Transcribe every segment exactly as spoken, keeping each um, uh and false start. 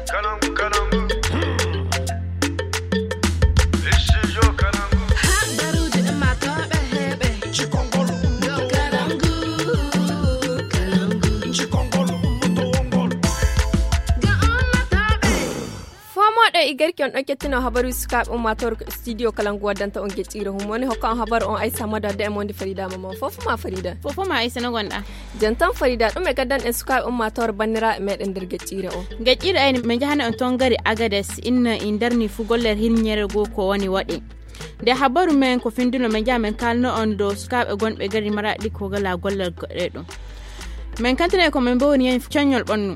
Kalangu, kalangu. Studio Kalangu. Haɓaruuji ummaatooɓe heɓe. Cikongol ummaatooɓe. Kalangu, kalangu. Cikongol ummaatooɓe. Ga ummaatooɓe. Fomooɗo e garki on ɗon kettino habaru sukaaɓe ummaatoore ko studio Kalangu waddanta on geccire hum woni hokka on habaru on Aissa Mado adda e monde Farida Mama. Fofo ma Farida. Fofo ma Aissa no gonɗa. Jantan Farida, ɗum e gaddan en sukaaɓe ummaatoore banniraaɓe meɗen nder geccire o. Geccire ayni, min njahana on toon gari Agades, inna in darni fuu gollal hirñere goo ko woni waɗe. Nde habaru men ko finduno, min njaha min kaalno on dow sukaaɓe gonɓe gari Maraɗi ko gala gollal goɗɗe ɗum. Min kantine ko min mbowni en coññol ɓannu.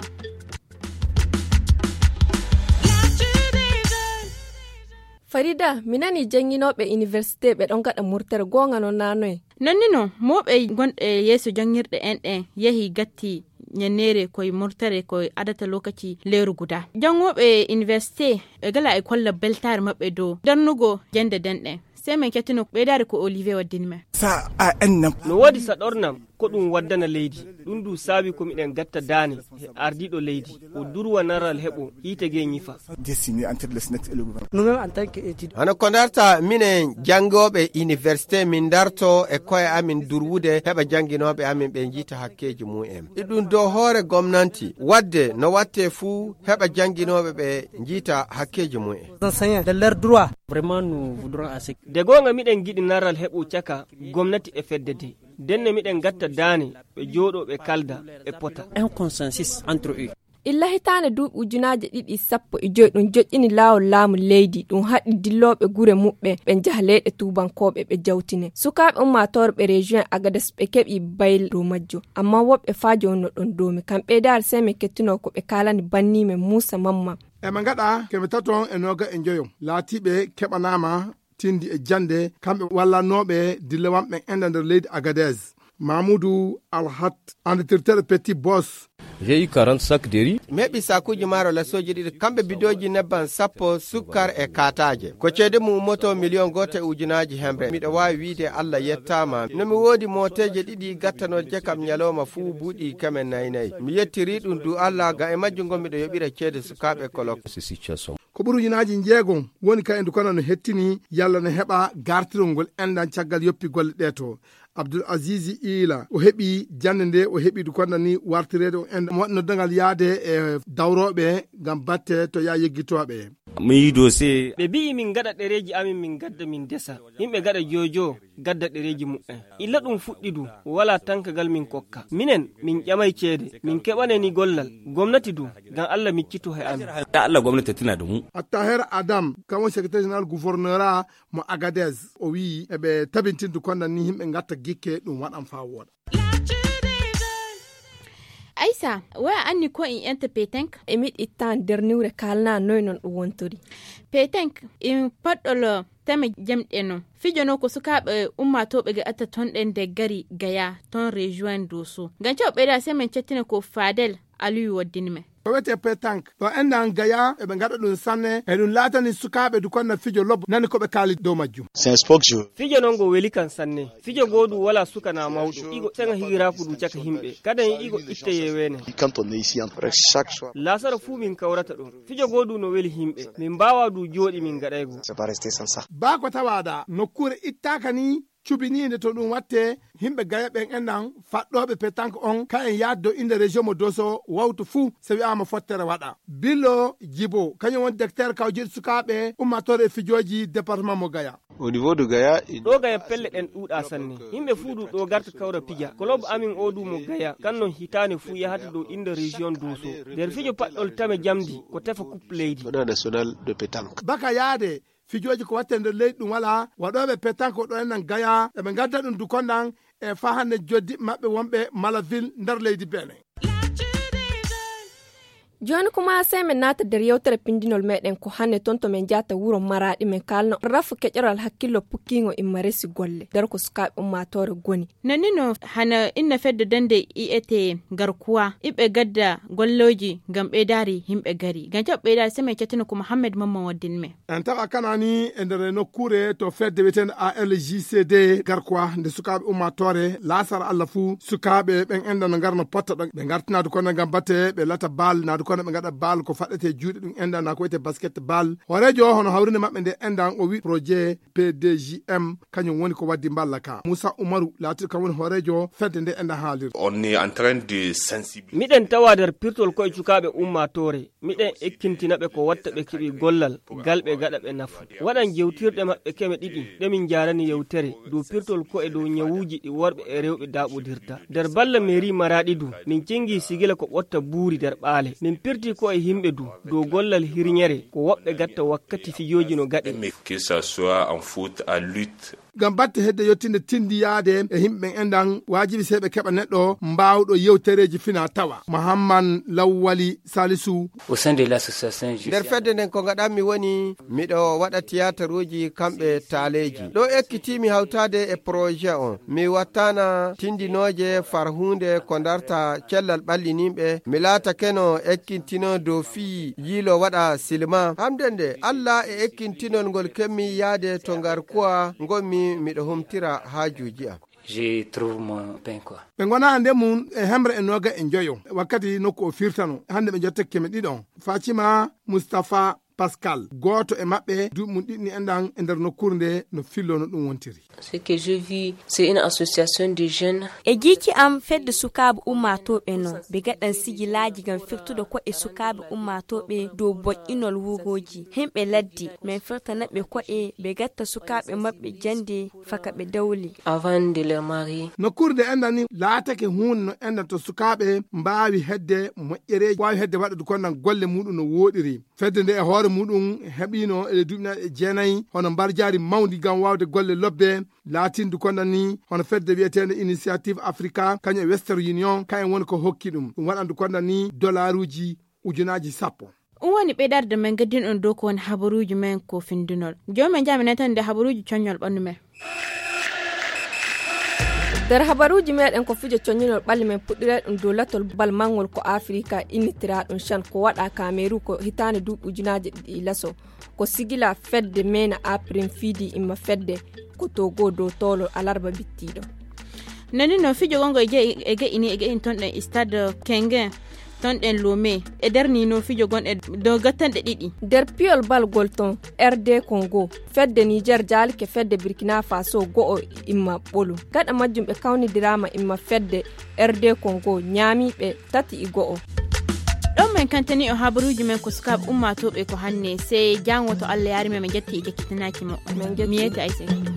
Farida, mi nani jannginooɓe université ɓe ɗon ngaɗa murtere, goonga non naa noye? Non ni non, mooɓe gonɗe yeeso janngirɗe en ɗen yehi gatti ñanneere koye murtere koye adata lokaci leeru guda. Janngooɓe université ɓe gala e kolla beltaare maɓɓe dow darnugo jannde den ɗen. Sey min kettino ɓeydaare ko Olivier waddini men. Sa a ennam. No woodi saɗornam, ko ɗum waddana leydi. Ɗum du saabi ko miɗen gatta daane he ardiiɗo leydi. O durwa naral heɓo hiite gee ñifa. Dessiner entre le SNET et le gouvernement. Nous-mêmes en tant que étudiants. Hono ko ndarta minen janngooɓe université min ndarto e koye amin durwude heɓa jannginooɓe amin ɓe njiita hakkeeji mum en. E ɗum dow hoore gomnanti waɗde no watte fuu heɓa jannginooɓe ɓe njiita hakkeeji mum en. Les enseignants de leurs droits. Vraiment, nous voudrons à ce que. De goonga miɗen ngiɗi naral heɓo caka gomnati e fedde de. Denne miɗen gatta daane ɓe jooɗo ɓe kalda ɓe pota. Un consensus entre eux. Illa hitaande duuɓi ujunaaje ɗiɗi e sappo e joy ɗum joƴƴini laawol laamu leydi, ɗum haɗi dillooɓe gure muɓɓen ɓe njaha leyɗe tuubankooɓe ɓe jawtine. Sukaaɓe ummaatoore ɓe région Agades ɓe keɓi bayl dow majjo, amma woɓɓe faa jooni no ɗon doomi. Kam ɓeydaare sey min kettinoo ko ɓe kaalani banni men Muusa Mamma. Eɓe ngaɗa keme tato e nooga e njoyo laatiiɓe keɓanaama tindi e jannde, kamɓe wallanooɓe dillewanɓe enɗan nder leydi Agadez. Mamoudou Alhat, enditirteɗo Petit Boss. J'ai eu quarante sacs de riz. Mi heɓi sakuuji maaro lasooji ɗiɗi, kamɓe bidooji nebban sappo, sukkar e kaataaje. Ko ceede mum ummoto miliyon gooto e ujunaaji hemre. Miɗo waawi wiide Allah yettaama. No mi woodi mooteeje ɗiɗi gattanooje kam ñalooma fuu buuɗi keme nayi nayi. Mi yettiri ɗum du Allah, ga e majjum ngon miɗo yoɓira ceede sukaaɓe kolok. Ko ɓuri ujunaaji njeegom woni ka e ndu kono no hettini yalla no heɓa gartirol ngol enɗan caggal yoppi golle ɗee to. Abdul Azizi Iila, o heɓi jannde nde, o heɓi ndu konnani wartireede o enɗan mo waɗi noddangal yaade e dawrooɓe ngam batte to yaa yeggitooɓe. Mi yiɗo se. Ɓe mbi'i min ngaɗa ɗereeji amin, min ngadda min ndesa. Yimɓe ngaɗa jojo, gadda ɗereeji muɓɓen. Illa ɗum fuɗɗi du, walaa tankagal min kokka. Minen, min ƴamay ceede, min keɓanay ni gollal. Gomnati du, ngam Allah miccito he amin. Ya Allah gomnati tina da mu. Attaher Adam, kamo secrétaire général gouverneur mo Agadez, o wi'i eɓe tabintindu konnani yimɓe ngatta gikke ɗum waɗan faa wooɗa. Aysa, woya anni ko in enta petenk? E miɗ ittan derniwre kalna noy non ɗum wontori. Petenk, in paɗɗolo teme jamɗe non. Fijo non ko sukaaɓe ummaatooɓe ga atta ton ɗen nde gari Gaya ton région Doso. Ngam caw ɓeyda se men cettina ko Fadel Aliyu waddini men. Ko wiyetee petanque, ɗo enɗan Gaya, eɓe ngaɗa ɗum sanne, e ɗum laatani sukaaɓe du konna fijo lobbo, nani ko ɓe kaali dow majjum. C'est un sport que je veux. Fijo non ngo weli kan sanne. Fijo goo du wala suka na mawɗo. Igo seŋa higiraaku du caka himɓe. Kadan igo itte yeweene. Quand on est ici, en presque chaque soir. Laasara fuu min kawrata ɗon. Fijo goo du no weli himɓe. Min mbaawa du jooɗi min ngaɗaygo. C'est pas rester sans ça. Baa ko tawaaɗa, nokkuure ittaaka ni, cubiniinde to ɗum watte, yimɓe Gaya ɓen enɗan faɗɗooɓe petanque on, ka en yaade dow innde région mo Doso wawtu fuu, so wi'aama fottere waɗa. Bilo Jibo, kañum woni directeur kawjeeɗi sukaaɓe ummaatoore e fijooji département mo Gaya. Au niveau de Gaya, il. Ɗo Gaya pelle ɗen ɗuuɗa sanne. Yimɓe fuu du ɗo garta kawra pija. Kolob amin o du mo Gaya, kan non hitaande fuu yahata dow innde région Doso. Nder fijo paɗɗol tame jamdi, ko tefa coupe leydi. Tournoi national de pétanque. Baka yaade, fijooji ko watte nder leydi ɗum walaa, waɗooɓe petanque ko ɗo enɗan Gaya, eɓe ngadda ɗum du konɗan e faa hannde joddiɓɓe maɓɓe wonɓe Malaville nder leydi Benin. Jooni kuma sey min naata nder yewtere pindinol meɗen ko hannde ton to min njahata wuro Maraɗi min kaalna rafu keƴoral hakkillo pukkiingo imma resi golle nder ko sukaaɓe ummaatoore goni. Nannino hana inna fedde dande I E T garkuwa iɓe gadda golloji ngam ɓeydaari yimɓe gari. Ngam jaɓɓo ɓeydaari sey min cettina ko Mohammed Mamman waddin men. En tawa kanani e nder nokkuure to fedde wiyeteende A L J C D garkuwa nde sukaaɓe ummaatoore laasara Allah fuu sukaaɓe ɓen enɗan no ngarno potta ɗon ɓe ngartinaade kono ngam batte ɓe lata baal naade Kono ɓe ngaɗa bal ko faɗɗete juuɗe ɗum enɗan na ko wiyete basket bal. Hooreejo o hono hawrinde maɓɓe nde enɗan o wi projet P D J M kañum woni ko waddi mballa ka. Moussa Oumarou laatiɗo kam woni hooreejo fedde nde enɗan haalirde. On est en train de sensibiliser. Miɗen tawa nder pirtol koye cukaaɓe ummaatoore. Miɗen ekkintina ɓe ko watta ɓe keɓi gollal, gal ɓe gaɗa ɓe nafu. Waɗan jewtirɗe maɓɓe keme ɗiɗi, ɗe min njaarani yewtere dow pirtol koye dow ñawuuji ɗi worɓe e rewɓe daaɓodirta. Nder balla mairie Maraɗi du, min cengi sigila ko ɓotta buuri nder ɓaale. Min pirti koye yimɓe du, dow gollal hirñere, ko woɓɓe gatta wakkati fijooji no gaɗe. Mais que ça soit en foot, en lutte. Ngam batte hedde yottinde tindiyaade e yimɓe ɓen enɗan, waajibi sey ɓe keɓa neɗɗo mbaawɗo yewtereeji fina tawa. Muhammad Lawwali Salisu. Au sein de l'association, je nder suis fedde nden ko ngaɗanmi woni, miɗo waɗa tiyataruuji kamɓe taaleeji. Ɗo ekkitiimi hawtaade e projet on. Mi wattana tindinooje farhuunde ko ndarta cellal ɓallininɓe. Mi laatakeno ekkintinoo dow fii yiilo waɗa silma. Hamde nde, Alla e ekkintinol ngol kemmi yaade to ngarkuwa ngonmi miɗo humtira haajuuji am. Je trouve mon pain quoi. Ɓe ngona hannde mum e hemre e nooga e njoyo. Wakkati nokku o firtano. Hannde ɓe njotte keme ɗiɗo. Fatima Mustapha Pascal, gooto e maɓɓe, duuɓi mum ɗiɗi enɗan e nder nokkuure nde no fillo no ɗum wontiri. Ce que je vis, c'est une association de jeunes. E jiiki am, fedde sukaaɓe ummaatooɓe non. Ɓe gaɗan sigilaaji ngam firtude ko'e sukaaɓe ummaatooɓe dow boƴƴinol wurooji. Himɓe ladde, min firtana ɓe ko'e, ɓe gatta sukaaɓe maɓɓe jannde, faka ɓe dawli. Avant de leur marier. Nokkuure nde enɗan ni laatake huunde no enɗan to sukaaɓe mbaawi hedde moƴƴereeji, waawi hedde waɗude ko nan golle muɗum no wooɗiri. Fedde nde e hoore muɗum heɓino e duuɓi nayi e jeenayi hono mbarjaari mawndi ngam waawde golle lobbe, laatindu ko nan ni hono fedde wiyeteende Initiative Africa, kañum e Western Union, kañum woni ko hokki ɗum. Ɗum waɗandu ko nan ni dolaaruuji ujunaaji sappo. Ɗum woni ɓeydarde men gaddin on dow ko woni habaruuji men ko findunol. Jooni men jaami nantande habaruuji coññol ɓanndu men. Nder habaruuji meɗen ko fijo coññinol ɓalli men puɗɗiree ɗum dow latol bal mangol ko Afirika innitiraɗum chan ko waɗa Kameru ko hitaande duuɓi ujunaaje ɗiɗi laso. Ko sigila fedde mena Aprim Fidi imma fedde ko Togo dow towlo alarba bittiɗo. Nani no fijo gongo e je-, e ge'ini, e ge'ini ton ɗen Stade Kengen, ton ɗen Lomé. E nder ni no fijo gon e dow gattanɗe ɗiɗi. Nder piyol bal gol ton R D Congo, fedde Niger jaalike fedde Burkina Faso go'o imma ɓolu. Gaɗa majjum ɓe kawnidiraama imma fedde R D Congo ñaami ɓe tati e go'o. Ɗon men kantani o habaruuji men ko sukaaɓe ummaatooɓe ko hanne, sey jaango to Allah yaari men, men jatti e jakkitanaaki moɗon. Men jatti. Mi yeeti Aysata.